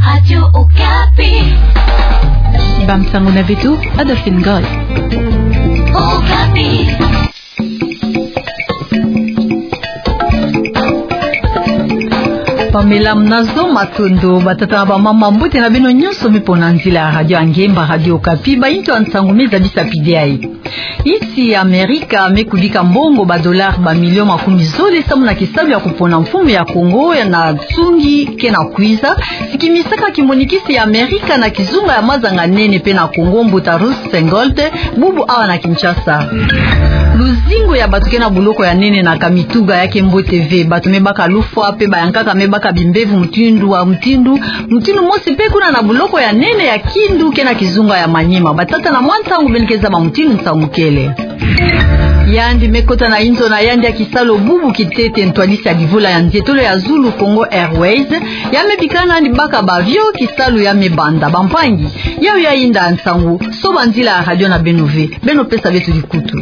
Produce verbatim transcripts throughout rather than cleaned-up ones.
Radio Okapi. Bamsango na beto, Adolphine Goy. Okapi. Pamela mnazo matondo, batata na bamama, mbote na beno nyonso mipona nzila ya radio ya ngemba, Radio Okapi, bainto ya nsangu meza bisapi diai. Insi ya Amerika me kubika mbongo ba dollar ba milio makumi zole samu na kisalu ya kupona mfumu ya Kongo ya na nsungi ke na kwiza, sikimisaka kimonikisi ya Amerika na kizunga ya mazanga nene pe na Kongo, mbuta Ross Feingold, bubu awa na Kinshasa. Luzingu ya bato ke na boloko ya nene na Kamituga ya ke mbote ve, bato me baka lufwa pe bayankaka me baka bimbevo mutindu wa mutindu, mutindu mosi pe kuna na boloko ya nene ya Kindu ke na kizunga ya Maniema. Batata na mwa ntangu beno ke zaba mutindu nsangu kele. Yandi me kota na inzo na yandi ya kisalu bubu kintete ntwadisi ya livula ya nzietolo ya zulu Congo Airways, ya me bika nandi baka ba avion kisalu ya me banda. Bampangi, yawu ya yinda nsangu, soba nzila ya radio na beno ve, beno pesa beto likutu.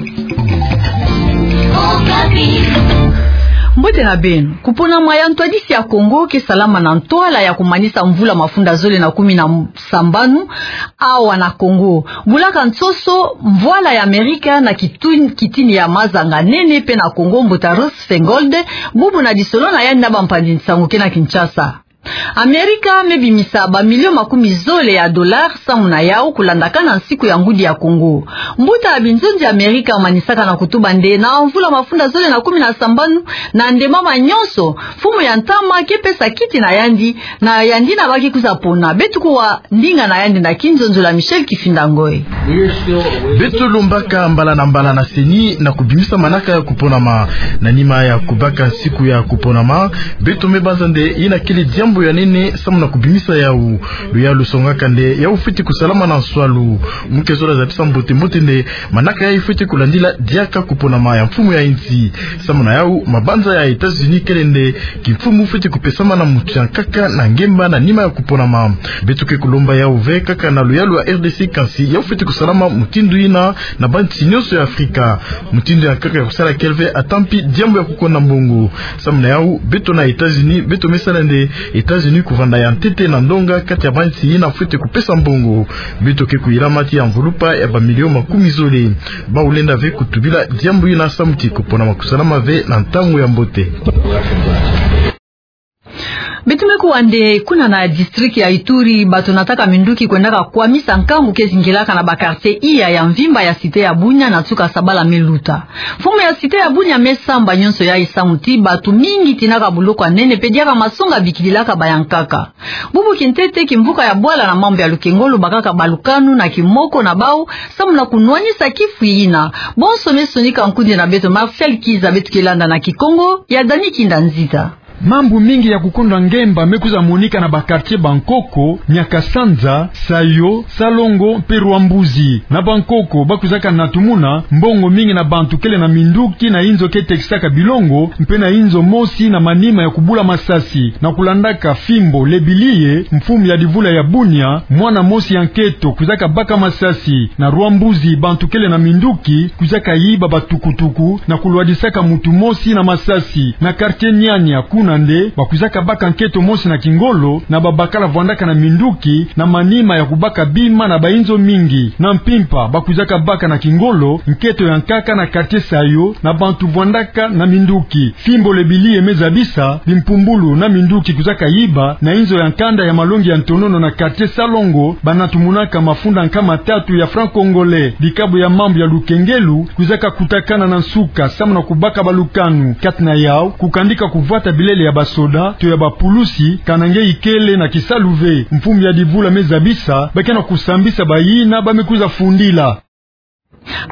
Mbote na beno. Kuponama ya ntwadisi ya Kongo ke salama na ntwala ya kumanisa mvula mafunda zole na kumi na sambanu awa na Kongo. Bulaka nsoso mvwala ya Amerika na kitun-, kitini ya mazanga nene pe na Kongo, mbuta Ross Feingold, bubu na lisolo na yandi na bampanzi nsangu ke na Kinshasa. Amerika me bimisa ba milio makumi zole ya dollar samu na yawu kulandakana nsiku ya ngudi ya Kongo. Mbuta ya binzonzi ya Amerika amanisaka na kutuba nde na mvula mafunda zole na kumi na sambanu, na nde mama nyonso, mfumu ya ntama ke pesa kiti na yandi, na yandi na ba ke kwiza pona. Beto kuwa ndinga na yandi na kinzonzolo ya Michel Kifinda Ngoy. Beto lombaka mbala na mbala na CENI na kubimisa manaka ya kuponama. Na nima ya kubaka nsiku ya kuponama, beto me banza nde yina kele diambu ya nene samu na kubimisa yawu. Luyalu lusongaka nde yawu fweti kusalama na nswalu. Mu ke zola zabisa mbote mbote nde manaka yayi fweti kulandila diaka kuponama ya mfumu ya insi. Samu na yawu, mabanza ya États-Unis kele nde kimfumu fweti kupesama na muntu ya nkaka na ngemba na nima ya kuponama. Beto ke kulomba yawu ve kaka na luyalu ya RDC, kansi yawu fweti kusalama mutindu yina na bansi nyonso ya Afrika. Mutindu ya nkaka ya kusala kele ve, ata mpi diambu ya kukonda mbongo. Samu na yawu, beto na États-Unis, beto me sala nde États-Unis kuvanda ya ntete na ndonga kati ya bansi yina fweti kupesa mbongo. Beto ke kuyilama ti ya mvulupa ya ba milio makumi zole. Bawu lenda ve kutubila diambu yina samu ti kuponama kusalama ve na ntangu ya mbote. Beto me kuwa nde kuna na district ya Ituri, bato nataka minduki kwendaka kwamisa nkangu ke zingilaka na ba quartier iya ya mvimba ya cité ya Bunia na nsuka sabala me luta. Mfumu ya cité ya Bunia me samba nyonso yayi samu ti bato mingi tinaka boloko ya nene pe diaka masonga bikililaka bayankaka. Bubu kintete kimvuka ya bwala na mambu ya lukengolo bakaka balukanu na kimoko na bawu samu na kunwanisa kifu yina. Bonso me sonika nkundi na beto Martial Kiza, beto ke landa na Kikongo ya Dani Kinda Nzita. Mambu mingi ya kukonda ngemba me kwiza monika na ba quartier Bankoko, Nyakasanza, Sayo, Salongo mpe Rwambuzi. Na Bankoko, ba kwizaka natumuna mbongo mingi na bantu kele na minduki na inzo ke tekisaka bilongo, mpe na inzo mosi na manima ya kubula masasi. Na kulandaka fimbo Lebiliye, mfumu ya divula ya Bunia, mwana mosi ya nketo kwizaka baka masasi. Na Rwambuzi, bantu kele na minduki kwizaka yiba batukutuku na kulwadisaka muntu mosi na masasi. Na quartier Niania, kuna nde ba kwizaka baka nketo mosi na kingolo na babakala vwandaka na minduki na manima ya kubaka bima na bainzo mingi. Na Mpimpa, ba kwizaka baka na kingolo nketo ya nkaka na quartier Sayo na bantu vwandaka na minduki. Fimbo Lebiliye me zabisa bimpumbulu na minduki kwizaka yiba na inzo ya nkanda ya malongi ya ntonono na quartier Salongo, ba natumunaka mafunda nkama tatu ya franc congolais. Bikabu ya mambu ya lukengelo kwizaka kutakana na nsuka samu na kubaka balukanu. Kati na yawu, kukandika kuvwata bilele ya basoda to ya bapulusi, kana nge ikele na kisalu ve. Mfumu ya divula me zabisa ba ke na kusambisa bayina ba me kwiza fundila.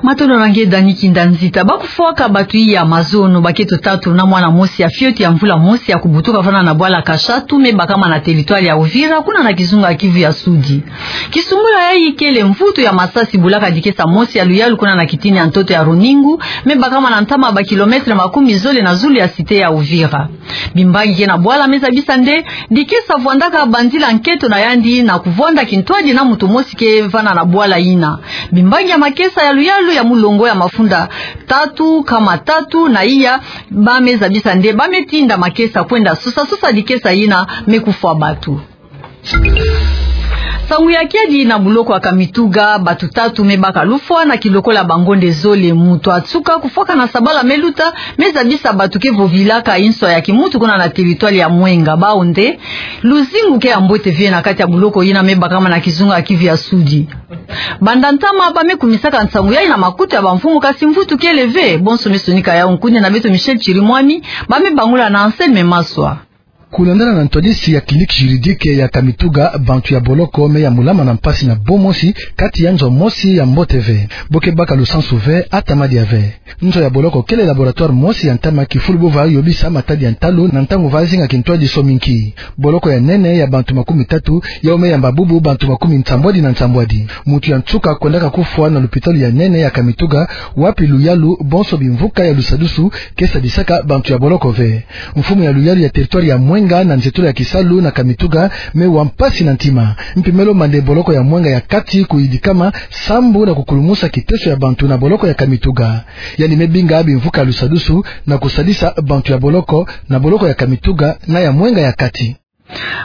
Matondo na nge Dani Kinda Nzita. Ba kufwaka bato iya mazono, baketo tatu na mwana mosi ya fioti ya mvula mosi ya kubutuka vana na bwala Kashatu, me bakama na territoire ya Uvira, kuna na kizunga ya Kivu ya Sudi. Kisumbula yayi kele mvutu ya masasi bulaka dikesa mosi ya luyalu kuna na kitini ya ntoto ya Runingu, me bakama na ntama ba kilomètre makumi zole na zulu ya cité ya Uvira. Bimbangi ke na bwala me zabisa nde dikesa vwandaka banzila nketo na yandi na kuvwanda kintwadi na muntu mosi ke vana na bwala yina. Bimbangi ya makesa ya luyalu ya mulongo ya mafunda tatu nkama tatu na iya, ba me zabisa nde ba me tinda makesa kwenda sosa-sosa dikesa yina me kufwa bato. Nsangu ya kiadi na boloko ya Kamituga, bato tatu me baka lufwa na kilokola bangonde zole. Moto ya nsuka kufwaka na sabala me luta, me zabisa bato ke vovilaka inswa ya kimutu kuna na territoire ya Mwenga. Bawu nde luzingu ke ya mbote ve na kati ya boloko yina me bakama na kizunga ya Kivu ya Sudi. Banda ntama ba me kumisaka nsangu yayi na makutu ya bamfumu, kasi mvutu kele ve. Bonso me sonika yawu nkundi na beto Michel Chirimwami, ba me bangula na Anselme Maswa. Kulandana na ntwadisi ya clinique juridique ya Kamituga, bantu ya boloko me yambulama na mpasi na bo mosi, kati ya nzo mosi ya mbote ve. Bo ke baka lusansu ve, ata madia ve. Nzo ya boloko kele laboratoire mosi ya ntama kifulu bo va yobisa matadi ya ntalu na ntangu va zinga kintwadi sominki. Boloko ya nene ya bantu makumi tatu, yawu me yamba bubu bantu makumi nsambwadi na nsambwadi. Moto ya nsuka kwendaka kufwa na lupitalu ya nene ya Kamituga, wapi luyalu, bonso bimvuka ya lusadusu ke sadisaka bantu ya boloko ve. Mfumu ya luyalu ya territoire ya Mwenga na nzietolo ya kisalu na Kamituga me wa mpasi na ntima. Mpi me lomba nde boloko ya Mwenga ya kati kuyidikama sambu na kukulumusa kiteso ya bantu na boloko ya Kamituga. Yandi me binga bimvuka ya lusadusu na kusadisa bantu ya boloko na boloko ya Kamituga na ya Mwenga ya kati.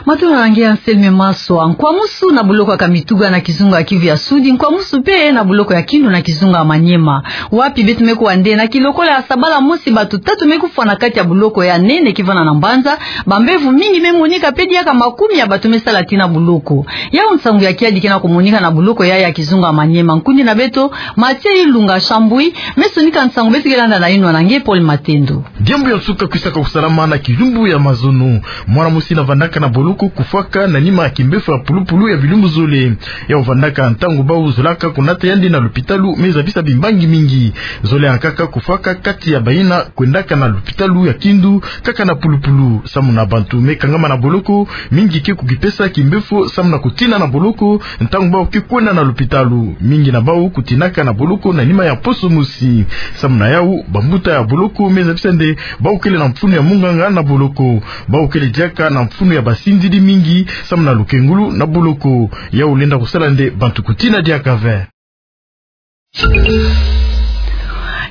Matondo na nge Anselme Maswa. Nkwamusu na boloko ya Kamituga na kizunga ya Kivu ya Sudi, nkwamusu mpe na boloko ya Kindu na kizunga ya Maniema, wapi beto me kuwa nde na kilokola ya sabala mosi bato tatu me kufwa na kati ya boloko ya nene ke vanda na Mbanza. Bambevo mingi me monika mpe diaka makumi ya bato me sala tii na boloko. Yawu nsangu ya kiadi ke na kumonika na boloko yayi ya kizunga ya Maniema. Nkundi na beto Mathieu Ilunga Shambui me sonika nsangu, beto ke landa na yinwa na nge Paul Matendo. Diambu ya nsuka kwisaka kusalama na kilumbu ya mazono. Mwana mosi na vandaka na boloko kufwaka na nima ya kimbefo ya pulupulu ya bilumbu zole. Yawu vandaka ntangu bawu zolaka kunata yandi na lupitalu me zabisa bimbangi mingi. Zole yankaka kufwaka kati ya bayina kwendaka na lupitalu ya Kindu kaka na pulupulu. Samu na bantu me kangama na boloko, mingi ke kukipesa kimbefo samu na kutina na boloko ntangu bawu ke kwenda na lupitalu. Mingi na bawu kutinaka na boloko na nima ya poso mosi. Samu na yawu, bambuta ya boloko me zabisa nde bawu kele na mfunu ya munganga na boloko. Bawu kele diaka na mfunu ya basindidi mingi samu na lukengulu na boloko. Yawu lenda kusala nde bantu kutina diaka ve.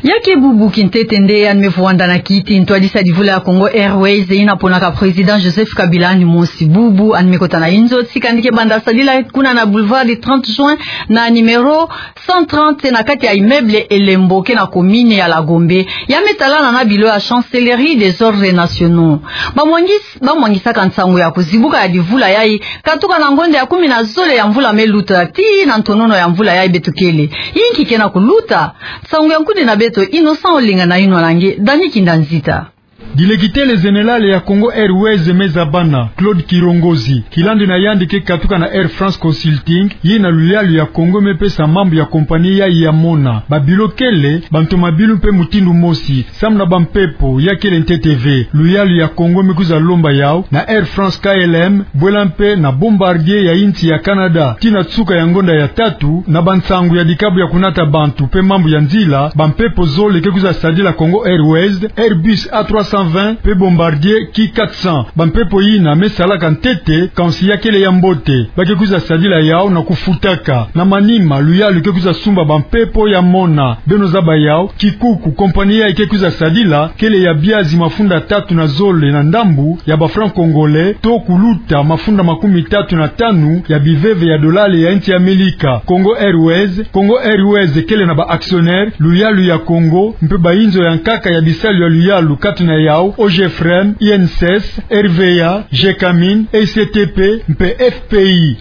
Ya ke bubu kintete nde yandi me vwanda na kiiti ntwadisi ya divula ya Congo Airways, yina ponaka président Joseph Kabila yandi mosi. Bubu yandi me kota na inzo, tika yandi ke banda sadila kuna na boulevard du trente juin, na numéro cent trente, na kati ya immeuble Elembo, ke na commune ya la Gombe. Ya me talana na bilo ya chancellerie des ordres nationaux. Bamwangis-, bamwangisaka nsangu ya kuzibuka ya divula yayi katuka na ngonda ya kumi na zole ya mvula me luta tii na ntonono ya mvula yayi beto kele. Yinki ke na kuluta? Nsangu ya nkundi na beto Innocent Olenga na yinwa na nge Dany Kinda Nzita. Directeur général ya Congo Airways me zabana, Claude Kirongozi, kilandi na yandi ke katuka na Air France Consulting, yina luyalu ya Congo me pesa mambu ya compagnie yayi ya mona. Babilo kele, bantomabilu mpe mutindu mosi, samu na bampepo, ya kele ntete ve. Luyalu ya Congo me kwiza lomba yawu na Air France K L M, bwela mpe na Bombardier ya insi ya Canada. Tii na nsuka ya ngonda ya tatu, na bansangu ya dikabu ya kunata bantu mpe mambu ya nzila, bampepo zole ke kwiza sadila Congo Airways, Airbus A trois cent vingt mpe Bombardier Q quatre cents. Bampepo yina me salaka ntete, kansi ya kele ya mbote. Ba ke kwiza sadila yawu na kufutaka. Na manima, luyalu ke kwiza sumba bampepo ya mona. Beno zaba yawu, kikuku compagnie yayi ke kwiza sadila, kele ya biazi mafunda tatu na zole na ndambu ya ba francs congolais, to kuluta mafunda makumi tatu na tanu ya biveve ya dolale ya insi ya Amelika. Congo Airways, Congo Airways kele na ba actionnaires, Luyalu ya Congo, mpe ba inzo ya nkaka ya bisalu ya luyalu, kati na yawu O G Frem, I N S S, R V A, Gecamines, E C T P, mpe F P I.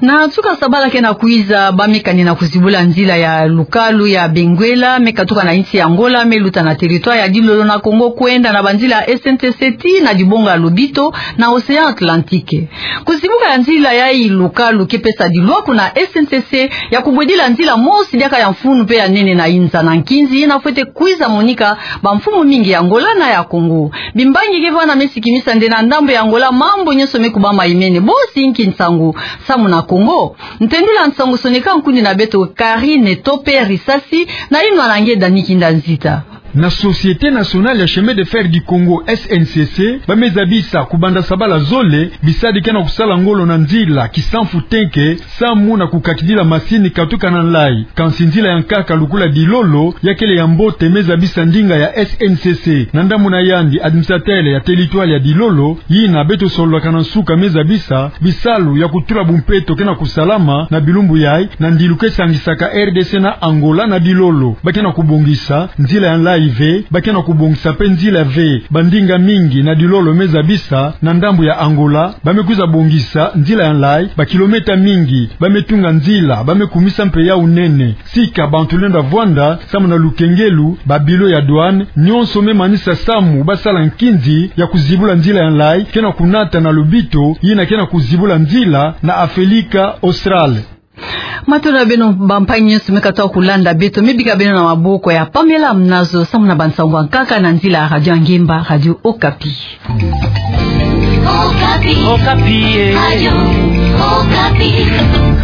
Na nsuka sabala ke na kwiza, ba me kani na kuzibula nzila ya lukalu ya Benguela, me katuka na insi ya Angola, me luta na territoire ya Dilolo na Congo, kwenda na banzila ya S N C C tii na dibonga ya Lobito na Océan Atlantique. Kuzibuka ya nzila yayi lukalu ke pesa dilwaku na S N C C ya kubwedila nzila mosi diaka ya mfunu mpe ya nene na inza na nkinzi yina fwete kwiza monika bamfumu mingi ya Angola na ya Congo. Bimbangi ke vwanda me sikimisa nde na ndambu ya Angola mambu nyonso me kubama imene. Bosi inki nsangu samu na Congo? Ntendula nsangu sonika nkundi na beto Karine Tope Risasi na yinwa na nge Dany Kinda Nzita. Na Société Nationale ya Chemin de Fer du Congo, S N C C, ba me zabisa kubanda sabala zole bisadi ke na kusala ngolo na nzila Kisamfu-Tenke, samu na kukakidila masini katuka na nlai. Kansi nzila ya nkaka lukula Dilolo, ya kele ya mbote, me zabisa ndinga ya S N C C. Na ndambu na yandi, administrateur ya territoire ya Dilolo, yina beto sololaka na nsuka, me zabisa bisalu ya kutula bumpeto ke na kusalama na bilumbu yai, na ndilu ke sangisaka R D C na Angola na Dilolo. Ba ke na kubongisa nzila ya nlai ve, ba ke na kubongisa mpe nzila ve. Bandinga mingi na Dilolo, me zabisa na ndambu ya Angola, ba me kwiza bongisa nzila ya nlai, ba kilomètre mingi, ba me tunga nzila, ba me kumisa mpe yau nene. Sika bantu lenda vwanda samu na lukengelu, ba bilo ya douane, nyonso me manisa samu ba sala nkinzi ya kuzibula nzila ya nlai, ke na kunata na lobito yina ke na kuzibula nzila na Afelika Austral. Matondo na beno bampangi nyonso me katuka kulanda beto, me bika beno na maboko ya Pamela Mnazo samu na bansangu ya nkaka na nzila ya Radio Ngemba, Radio Okapi. Okapi. Okapi, eh. Radio Okapi.